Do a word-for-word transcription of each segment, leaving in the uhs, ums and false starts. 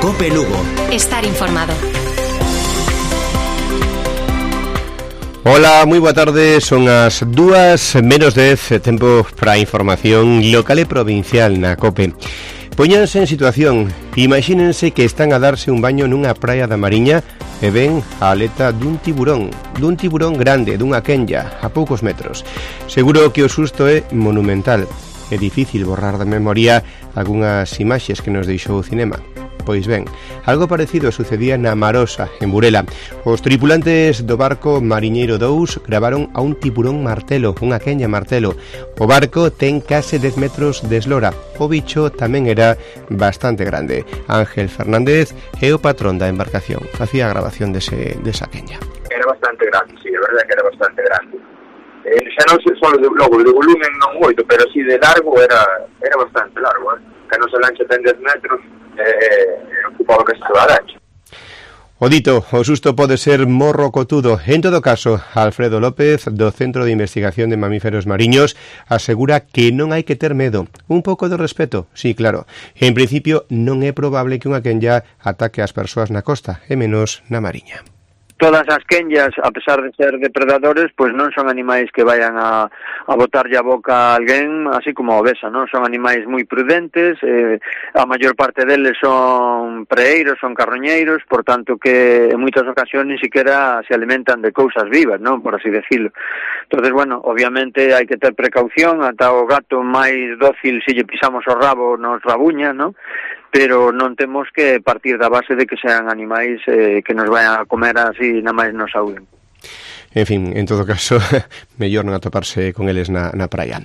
COPE Lugo. Estar informado. Ola, moi boa tarde, son as dúas menos dez, tempo para a información local e provincial na COPE. Póñanse en situación, imagínense que están a darse un baño nunha praia da Mariña e ven a aleta dun tiburón, dun tiburón grande, dunha quenlla, a poucos metros. Seguro que o susto é monumental. É difícil borrar da memoria algunhas imaxes que nos deixou o cinema. Pois ben, algo parecido sucedía na Marosa, en Burela. Os tripulantes do barco Mariñeiro dous gravaron a un tiburón martelo, unha quenlla martelo. O barco ten case dez metros de eslora. O bicho tamén era bastante grande. Ángel Fernández é o patrón da embarcación. Facía a grabación dese, desa quenlla. Era bastante grande, sí, a verdade que era bastante grande. Eh, xa non sei só de, logo, de volumen non moito, pero si de largo era era bastante largo, eh? Que a nosa lancha ten dez metros, eh, ocupaba que se va a lancha. O dito, o susto pode ser morro cotudo. En todo caso, Alfredo López, do Centro de Investigación de Mamíferos Mariños, asegura que non hai que ter medo. Un pouco de respeto, sí, claro. En principio, non é probable que unha quenlla ataque as persoas na costa, e menos na Mariña. Todas as quenllas, a pesar de ser depredadores, pois non son animais que vayan a, a botarlle a boca a alguén, así como a obesa, non? Son animais moi prudentes, eh, a maior parte deles son preeiros, son carroñeiros, por tanto que en moitas ocasións ni siquiera se alimentan de cousas vivas, non? Por así decirlo. Entonces, bueno, obviamente hai que ter precaución, ata o gato máis dócil se lle pisamos o rabo nos rabuña, non? Pero non temos que partir da base de que sean animais eh, que nos vayan a comer así na máis nos saúden. En fin, en todo caso, mellor non atoparse con eles na, na praia.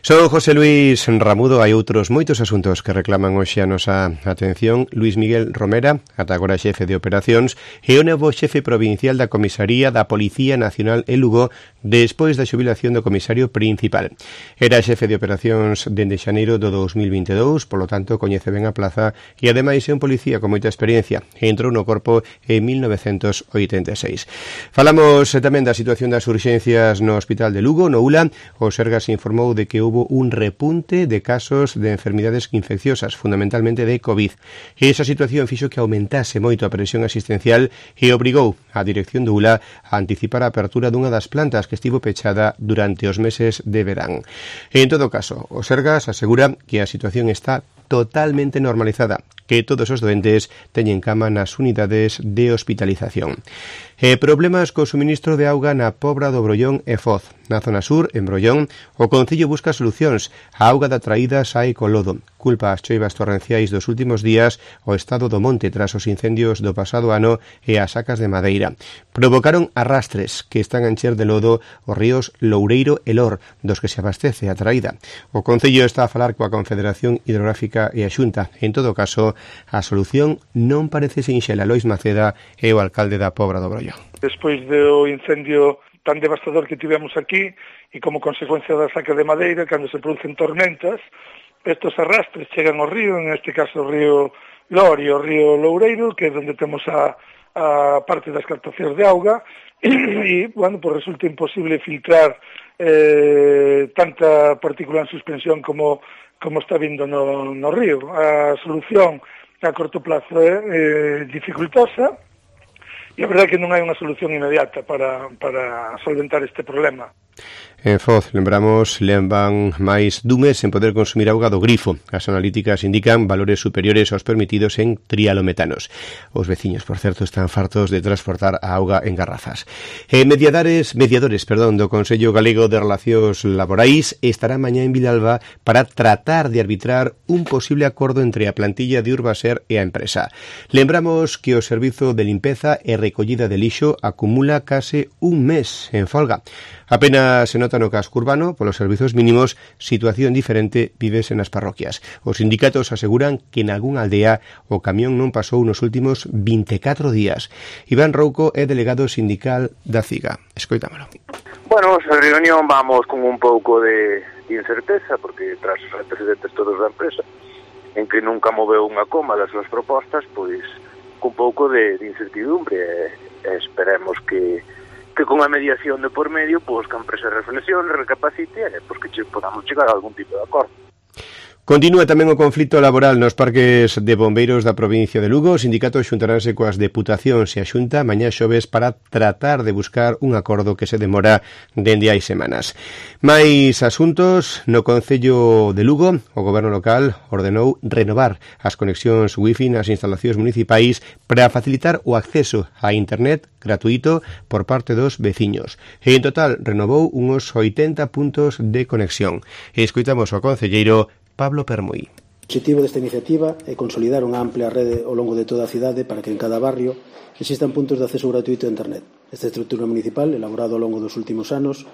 Son José Luis Ramudo, hai outros moitos asuntos que reclaman hoxe a nosa atención. Luis Miguel Romera, ata agora xefe de operacións, e o novo xefe provincial da Comisaría da Policía Nacional en Lugo despois da xubilación do comisario principal. Era xefe de operacións dende xaneiro do dos mil vinte e dous, polo tanto coñece ben a plaza e ademais é un policía con moita experiencia. Entrou no corpo en mil novecentos oitenta e seis. Falamos tamén da situación das urxencias no Hospital de Lugo, no U L A. O Sergas informou de que houve un repunte de casos de enfermidades infecciosas, fundamentalmente de COVID. E esa situación fixo que aumentase moito a presión asistencial e obrigou a dirección do U L A a anticipar a apertura dunha das plantas que estivo pechada durante os meses de verán. En todo caso, o Sergas asegura que a situación está totalmente normalizada, que todos os doentes teñen cama nas unidades de hospitalización. E problemas co suministro de auga na Pobra do Brollón e Foz. Na zona sur, en Brollón, o Concello busca solucións. A auga da traída sae co lodo. Culpa as choivas torrenciais dos últimos días o estado do monte tras os incendios do pasado ano e as sacas de madeira. Provocaron arrastres que están a encher de lodo os ríos Loureiro e Lor, dos que se abastece a traída. O Concello está a falar coa Confederación Hidrográfica e a Xunta. En todo caso, a solución non parece sinxela. Lois Maceda é o alcalde da Pobra do Brollón. Despois do incendio tan devastador que tivemos aquí e como consecuencia da saca de madeira, cando se producen tormentas, estos arrastres chegan ao río, en este caso o río Lor e o río Loureiro, que é onde temos a, a parte das captacións de auga, e, bueno, pues resulta imposible filtrar eh, tanta partícula en suspensión como, como está vindo no, no río. A solución a corto plazo é eh, dificultosa, e a verdade é que non hai unha solución inmediata para, para solventar este problema. En Foz, lembramos, levan máis dun mes en poder consumir auga do grifo. As analíticas indican valores superiores aos permitidos en trialometanos. Os veciños, por certo, están fartos de transportar a auga en garrafas. E mediadores, mediadores, perdón, do Consello Galego de Relacións Laborais estará mañá en Vilalba para tratar de arbitrar un posible acordo entre a plantilla de Urbaser e a empresa. Lembramos que o servizo de limpeza e recollida de lixo acumula case un mes en folga. Apenas se nota no casco urbano, polos servizos mínimos, situación diferente vívese nas parroquias. Os sindicatos aseguran que en algunha aldea o camión non pasou nos últimos vinte e catro días. Iván Rouco é delegado sindical da CIGA. Escoitámolo. Bueno, a reunión vamos con un pouco de, de incerteza, porque tras os antecedentes todos da empresa, en que nunca moveu unha coma das súas propostas, pois con un pouco de, de incertidumbre. E, e esperemos que que con a mediación de por medio, pois que a empresa reflexione, recapacite, e pois que che, podamos chegar a algún tipo de acordo. Continúa tamén o conflito laboral nos parques de bombeiros da provincia de Lugo. Os sindicatos xuntaránse coas deputacións e a Xunta mañá xoves para tratar de buscar un acordo que se demora dende hai semanas. Mais asuntos, no Concello de Lugo, o goberno local ordenou renovar as conexións wifi nas instalacións municipais para facilitar o acceso a internet gratuito por parte dos veciños. E en total renovou uns oitenta puntos de conexión. E escoitamos ao concelleiro Pablo Permuy. O objetivo desta iniciativa é consolidar unha amplia rede ao longo de toda a cidade para que en cada barrio existan puntos de acceso gratuito a internet. Esta estrutura municipal, elaborada ao longo dos últimos anos,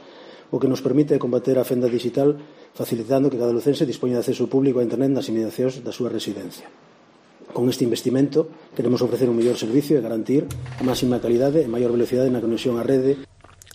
o que nos permite combater a fenda digital facilitando que cada lucense dispoña de acceso público a internet nas inmediacións da súa residencia. Con este investimento queremos ofrecer un mellor servicio e garantir a máxima calidade e maior velocidade na conexión á rede.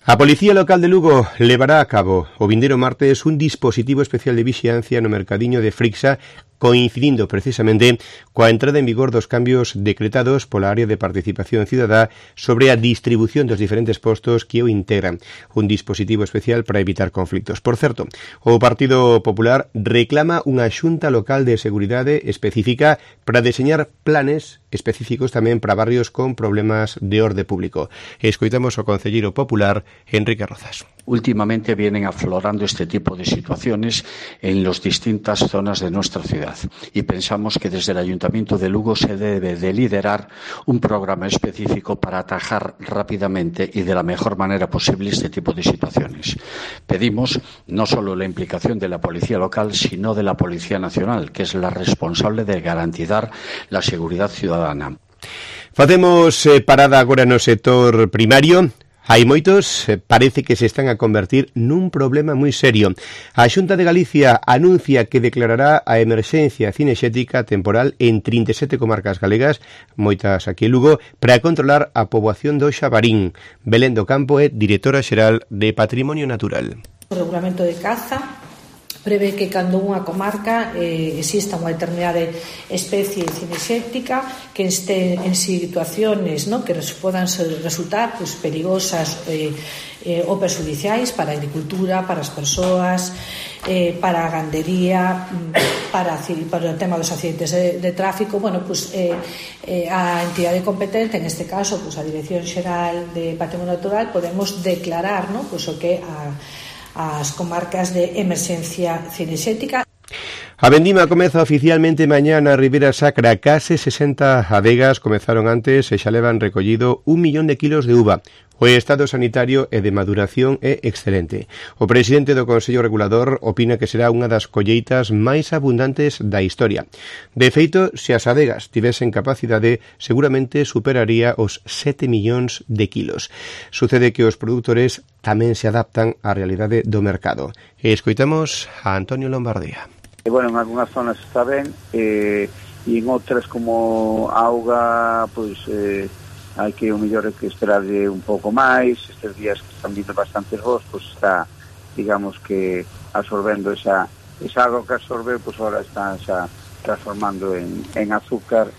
A Policía Local de Lugo levará a cabo o vindeiro martes un dispositivo especial de vixiancia no mercadiño de Frixa, coincidindo precisamente coa entrada en vigor dos cambios decretados pola área de participación cidadá sobre a distribución dos diferentes postos que o integran. Un dispositivo especial para evitar conflictos. Por certo, o Partido Popular reclama unha xunta local de seguridade específica para deseñar planes específicos tamén para barrios con problemas de orde público. Escoitamos ao concelleiro popular Enrique Rozas. Últimamente vienen aflorando este tipo de situaciones en las distintas zonas de nuestra ciudad y pensamos que desde el Ayuntamiento de Lugo se debe de liderar un programa específico para atajar rápidamente y de la mejor manera posible este tipo de situaciones. Pedimos no solo la implicación de la Policía Local, sino de la Policía Nacional, que es la responsable de garantizar la seguridad ciudadana. Facemos eh, parada agora no sector primario. Hai moitos, parece que se están a convertir nun problema moi serio. A Xunta de Galicia anuncia que declarará a emerxencia cinexética temporal en trinta e sete comarcas galegas, moitas aquí en Lugo, para controlar a poboación do Xabarín. Belén do Campo é directora xeral de Patrimonio Natural. O regulamento de caza prevé que cando unha comarca eh, exista unha determinada especie cinexética que este en situaciones, ¿no?, que podan resultar pues, perigosas eh, eh, ou perxudiciais para a agricultura, para as persoas, eh, para a gandería, para, para o tema dos accidentes de, de tráfico. Bueno, pues eh, eh, a entidade competente, en este caso pues, a Dirección Xeral de Patrimonio Natural, podemos declarar, ¿no?, pues, o que a as comarcas de emerxencia cinexética. A vendima comeza oficialmente mañá na Ribeira Sacra. Case sesenta adegas comezaron antes e xa levan recollido un millón de kilos de uva. O estado sanitario e de maduración é excelente. O presidente do Consello Regulador opina que será unha das colleitas máis abundantes da historia. De feito, se as adegas tivesen capacidade, seguramente superaría os sete millóns de kilos. Sucede que os produtores tamén se adaptan á realidade do mercado. E escoitamos a Antonio Lombardía. E, bueno, en algunhas zonas está ben, eh, e en outras como auga, pois... Eh, hai que o mellor é que esperarlle un pouco máis. Estes días que están vindo bastantes vos, pois está, digamos que absorbendo esa, esa agua que absorbe, pois ahora está xa transformando en, en azúcar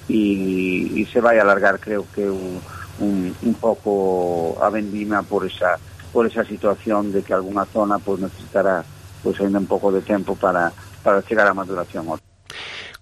e, e se vai alargar, creo que un, un, un pouco a vendima por esa, por esa situación de que algunha zona pois necesitará pois ainda un pouco de tempo para, para chegar á maduración.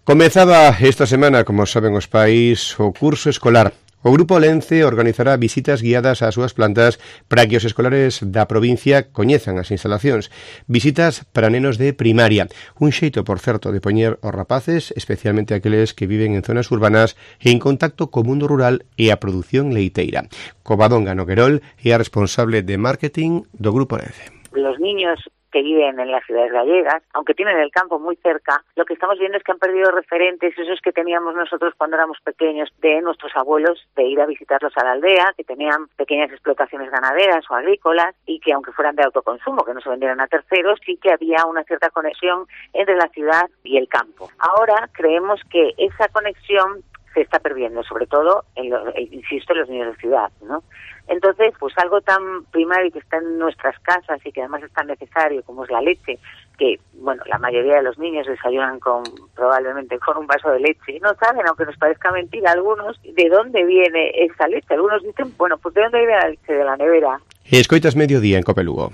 Comezaba esta semana, como saben os pais, o curso escolar. O Grupo Lence organizará visitas guiadas ás súas plantas para que os escolares da provincia coñezan as instalacións. Visitas para nenos de primaria. Un xeito, por certo, de poñer os rapaces, especialmente aqueles que viven en zonas urbanas, en contacto co mundo rural e a produción leiteira. Covadonga Noguerol é a responsable de marketing do Grupo Lence. Los niños que viven en las ciudades gallegas, aunque tienen el campo muy cerca, lo que estamos viendo es que han perdido referentes, esos que teníamos nosotros cuando éramos pequeños, de nuestros abuelos, de ir a visitarlos a la aldea, que tenían pequeñas explotaciones ganaderas o agrícolas, y que aunque fueran de autoconsumo, que no se vendieran a terceros, sí que había una cierta conexión entre la ciudad y el campo. Ahora creemos que esa conexión se está perdiendo, sobre todo, en lo, insisto, en los niños de ciudad, ¿no? Entonces, pues algo tan primario que está en nuestras casas y que además es tan necesario como es la leche, que, bueno, la mayoría de los niños desayunan con, probablemente con un vaso de leche. No saben, aunque nos parezca mentira a algunos, de dónde viene esa leche. Algunos dicen, bueno, pues de dónde viene la leche, de la nevera. Escoitas Mediodía en Cope Lugo.